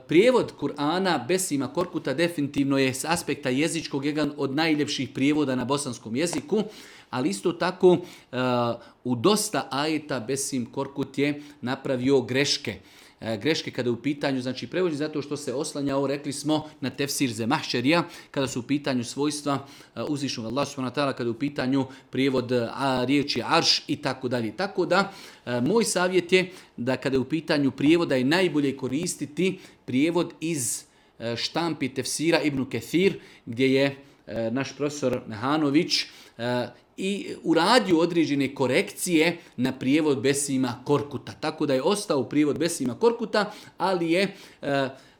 Prijevod Kur'ana Besima Korkuta definitivno je s aspekta jezičkog jedan od najljepših prijevoda na bosanskom jeziku, ali isto tako u dosta ajeta Besim Korkut je napravio greške. Greške kada je u pitanju, znači prevođenje zato što se oslanjao, rekli smo, na tefsir Zemahšerija, kada su u pitanju svojstva uzvišnog Allaha subhanahu wa ta'ala, kada je u pitanju prijevod riječi arš i tako dalje. Tako da, moj savjet je da kada je u pitanju prijevoda je najbolje koristiti prijevod iz štampi tefsira Ibn Kathir, gdje je naš profesor Mehanović i uradio određene korekcije na prijevod Besima Korkuta. Tako da je ostao prijevod Besima Korkuta, ali je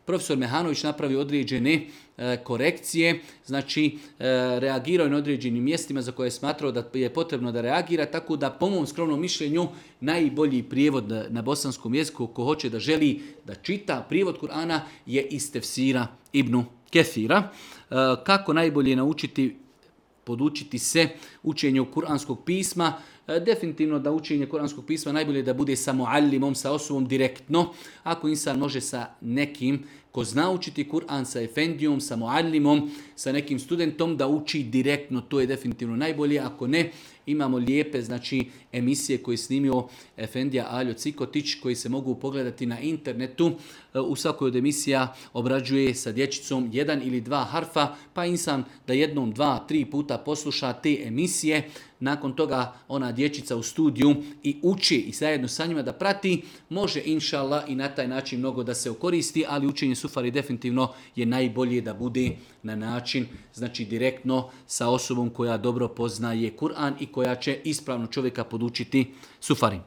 profesor Mehanović napravio određene korekcije, znači reagirao je na određenim mjestima za koje je smatrao da je potrebno da reagira, tako da po mom skromnom mišljenju najbolji prijevod na bosanskom jeziku ko hoće da želi da čita prijevod Kur'ana je iz tefsira Ibn Kathira. Kako najbolje podučiti se učenju kuranskog pisma? Definitivno da učenje kuranskog pisma najbolje da bude sa muallimom, sa osobom direktno. Ako insan može sa nekim ko zna učiti Kur'an, sa efendijom, sa muallimom, sa nekim studentom da uči direktno, to je definitivno najbolje. Ako ne, imamo lijepe emisije koje je snimio efendija Aljo Cikotić koji se mogu pogledati na internetu. U svakoj od emisija obrađuje sa dječicom 1 ili 2 harfa, pa insan da 1, 2, 3 puta posluša te emisije. Nakon toga ona dječica u studiju i uči i zajedno sa njima da prati, može inša Allah i na taj način mnogo da se okoristi, ali učenje sufari definitivno je najbolje da bude na način, znači direktno sa osobom koja dobro poznaje Kur'an i koja će ispravno čovjeka podučiti sufari.